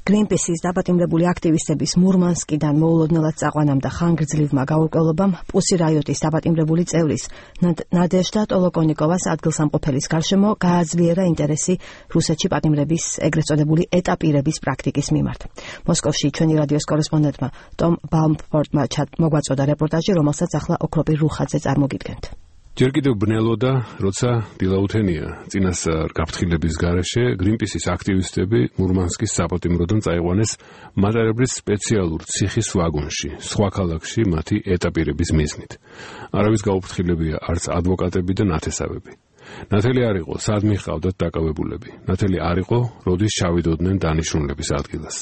Greenpeace-ის დაპატიმრებული აქტივისტების მურმანსკიდან მოულოდნელად წაყვანამ და ხანგრძლივმა გაურკვევლობამ პუსი რაიოტის დაპატიმრებული წევრის ნადეჟდა ტოლოკონიკოვას ადგილსამყოფელის გარშემო გააძლიერა ინტერესი რუსეთში პატიმრების ეგრეთ წოდებული ეტაპირების პრაქტიკის მიმართ. მოსკოვში ჩვენი რადიოს კორესპონდენტმა ტომ ბაუმფორტმა მოგვაწოდა რეპორტაჟი, რომელსაც ახლა ოქროპირ რუხაძე წარმოგიდგენთ. ჯერ კიდევ ბნელოდა, როცა დილაუთენია წინასწარ გაფრთხილების გარეშე Greenpeace-ის აქტივისტები მურმანსკის საპატიმროდან წაიყვანეს მატარებლის სპეციალურ ციხის ვაგონში, სხვა ქალაქში მათი ეტაპირების მიზნით. არავის გაუფრთხილებია არც ადვოკატები და ნათესავები. ნათელი არ იყო, სად მიჰყავდათ დაკავებულები. ნათელი არ იყო, როდის ჩავიდოდნენ დანიშნულების ადგილას.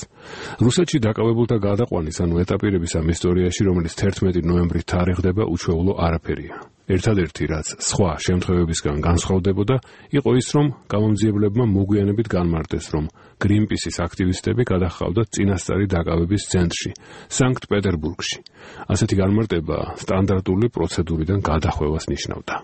რუსეთში დაკავებულთა გადაყვანის, ანუ ეტაპირების ამ ისტორიაში, რომელიც 11 ნოემბრით თარიღდება, უჩვეულო არაფერია. ერთადერთი, რაც სხვა შემთხვევებისგან განსხვავდებოდა, იყო ის, რომ გამომძიებლებმა მოგვიანებით განმარტეს, რომ Greenpeace-ის აქტივისტები გადაჰყავდათ წინასწარი დაკავების ცენტრში, სანქტ-პეტერბურგში. ასეთი განმარტება სტანდარტული პროცედურიდან გადახვევას ნიშნავდა.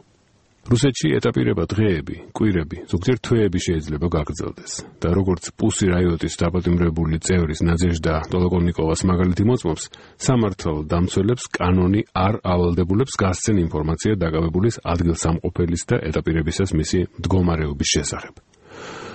რუსეთში ეტაპირება დღეები, კვირები, ზოგჯერ თვეები შეიძლება გაგრძელდეს და როგორც პუსი რაიოტის დაპატიმრებული წევრის ნადეჟდა ტოლოკონიკოვას მაგალითი მოწმობს, სამართალ დამცველებს კანონი არ ავალდებულებს გასცენ ინფორმაცია დაკავებულის ადგილსამყოფელის და ეტაპირებისას მისი მდგომარეობის შესახებ.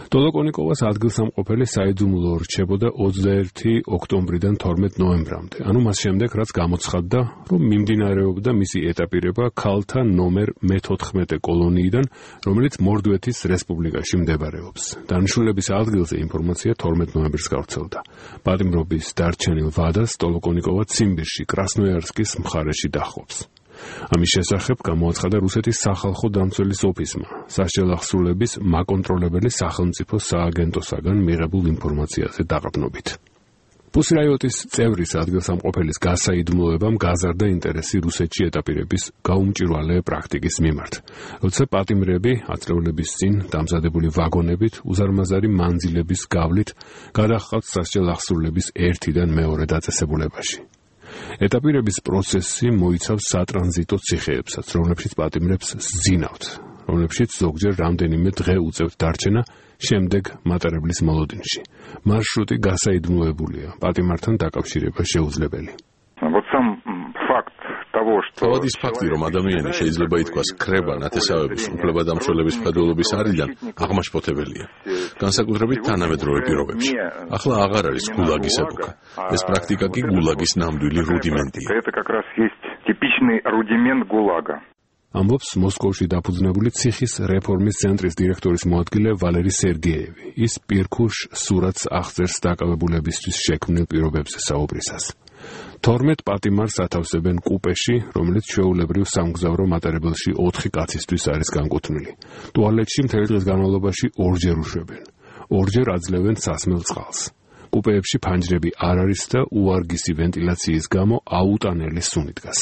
ტოლოკონიკოვას ადგილსამყოფელი საიდუმლო რჩებოდა 21 ოქტომბრიდან 12 ნოემბრამდე, ანუ მას შემდეგ, რაც გამოცხადდა, რომ მიმდინარეობდა მისი ეტაპირება ქალთა ნომერ მე-14 კოლონიიდან, რომელიც მორდვეთის რესპუბლიკაში მდებარეობს. დანიშნულების ადგილზე ინფორმაცია 12 ნოემბერს გავრცელდა. პატიმრობის დარჩენილ ვადას ტოლოკონიკოვა ციმბირში, კრასნოიარსკის მხარეში დაჰყობს. ამის შესახებ გამოაცხადა რუსეთის სახალხო დამცველის ოფისმა, სასჯელახსრულების მაკონტროლებელი სახელმწიფო სააგენტოსაგან მიღებულ ინფორმაციაზე დაყრდნობით. პუსი რაიოტის წევრის ადგილსამყოფელის გასაიდუმლოებამ გაზარდა ინტერესი რუსეთში ეტაპირების გაუმჭირვალე პრაქტიკის მიმართ, როცა პატიმრები ათწლეულების წინ დამზადებული ვაგონებით უზარმაზარი მანძილების გავლით გადაჰყავთ სასჯელახსრულების ერთიდან მეორე დაწესებულებაში. ეტაპირების პროცესი მოიცავს სატრანზიტო ციხეებსაც, რომლებშიც პატიმრებს სძინავთ, რომლებშიც ზოგჯერ რამდენიმე დღე უწევთ დარჩენა შემდეგ მატარებლის მოლოდინში. მარშრუტი გასაიდუმლოებულია, პატიმართან დაკავშირება შეუძლებელი. თავად ის ფაქტი, რომ ადამიანი შეიძლება ითქვას ქრება ნათესავების უფლებადამცველების ფედულობის არიდან, აღმაშფოთებელია. განსაკუთრებით თანამედროვე პირობებში. ახლა აღარ არის გულაგის ეპოქა. ეს პრაქტიკა კი გულაგის ნამდვილი რუდიმენტია. ამბობს მოსკოვში დაფუძნებული ციხის რეფორმის ცენტრის დირექტორის მოადგილე ვალერი სერგეევი. ის პირქუშ სურათს აღწერს დაკავებულებისთვის შექმნილ პირობებზე საუბრისას. 12 პატიმარს ათავსებენ კუპეში, რომელიც ჩვეულებრივ სამგზავრო მატარებელში 4 კაცისთვის არის განკუთვნილი. ტუალეტში მთელი დღის განმავლობაში ორჯერ უშვებენ. ორჯერ აძლევენ სასმელ წყალს. კუპეებში ფანჯრები არ არის და უარგისი ვენტილაციის გამო აუტანელი სუნი დგას.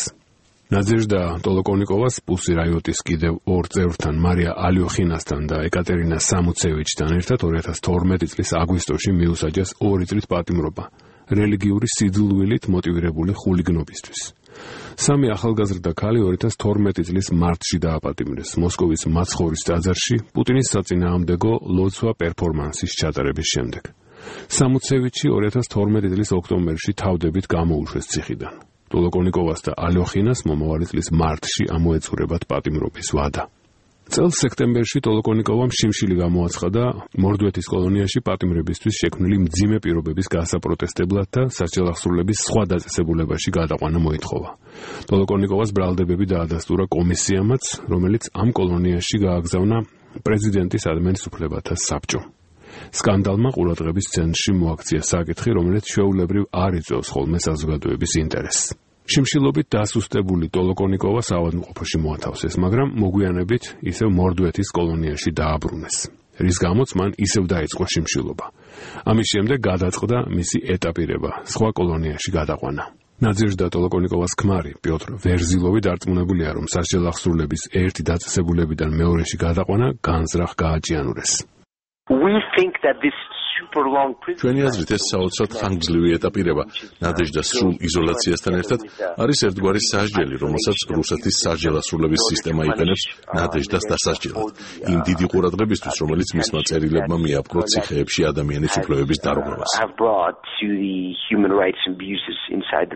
ნადეჟდა ტოლოკონიკოვას პუსი რაიოტის კიდევ ორ წევრთან, მარია ალიოხინასთან და ეკატერინა სამუცევიჩთან ერთად 2012 წლის აგვისტოში მიუსაჯეს 2 წლით პატიმრობა. რელიგიური სიძულვილით მოტივირებული ხულიგნობისთვის. 3 ახალგაზრდა ქალი 2012 წლის მარტში დააპატიმრეს მოსკოვის მაცხოვრის ტაძარში პუტინის საწინააღმდეგო ლოცვა პერფორმანსის ჩატარების შემდეგ. სამუცევიჩი 2012 წლის ოქტომბერში თავდებით გამოუშვეს ციხიდან. ტოლოკონიკოვას და ალიოხინას მომავალი წლის მარტში ამოეწურებათ პატიმრობის ვადა. წელს სექტემბერში ტოლოკონიკოვამ შიმშილი გამოაცხადა მორდვეთის კოლონიაში პატიმრებისთვის შექმნილი მძიმე პირობების გასაპროტესტებლად და სასჯელახსრულების სხვა დაწესებულებაში გადაყვანა მოითხოვა. ტოლოკონიკოვას ბრალდებები დაადასტურა კომისიამაც, რომელიც ამ კოლონიაში გააგზავნა პრეზიდენტის ადმენის უფლებათა საბჭომ. სკანდალმა ყურადღების ცენტრში მოაქცია საკითხი, რომელიც ჩვეულებრივ არ იწვევს ხოლმე საზოგადოების ინტერესს. შიმშილობით დასუსტებული ტოლოკონიკოვა საავადმყოფოში მოათავსეს, მაგრამ მოგვიანებით ისევ მორდვეთის კოლონიაში დააბრუნეს, რის გამოც მან ისევ დაიწყო შიმშილობა. ამის შემდეგ გადაწყდა მისი ეტაპირება, სხვა კოლონიაში გადაყვანა. ნადეჟდა ტოლოკონიკოვას ქმარი პიოტრ ვერზილოვი დარწმუნებულია, რომ სასჯელახსრულების ერთი დაწესებულებიდან მეორეში გადაყვანა განზრახ გააჭიანურეს. We think that this ჩვენი აზრით ეს საოცრად ხანგრძლივი ეტაპირება ნადეჟდას სრულ იზოლაციასთან ერთად არის ერთგვარი სასჯელი, რომელსაც რუსეთის სასჯელასრულების სისტემა იყენებს ნადეჟდას დასასჯელად. იმ დიდი ყურადღებისთვის, რომელიც მისმა წერილებმა მიაპყრო ციხეებში ადამიანის უფლებების დარღვევას.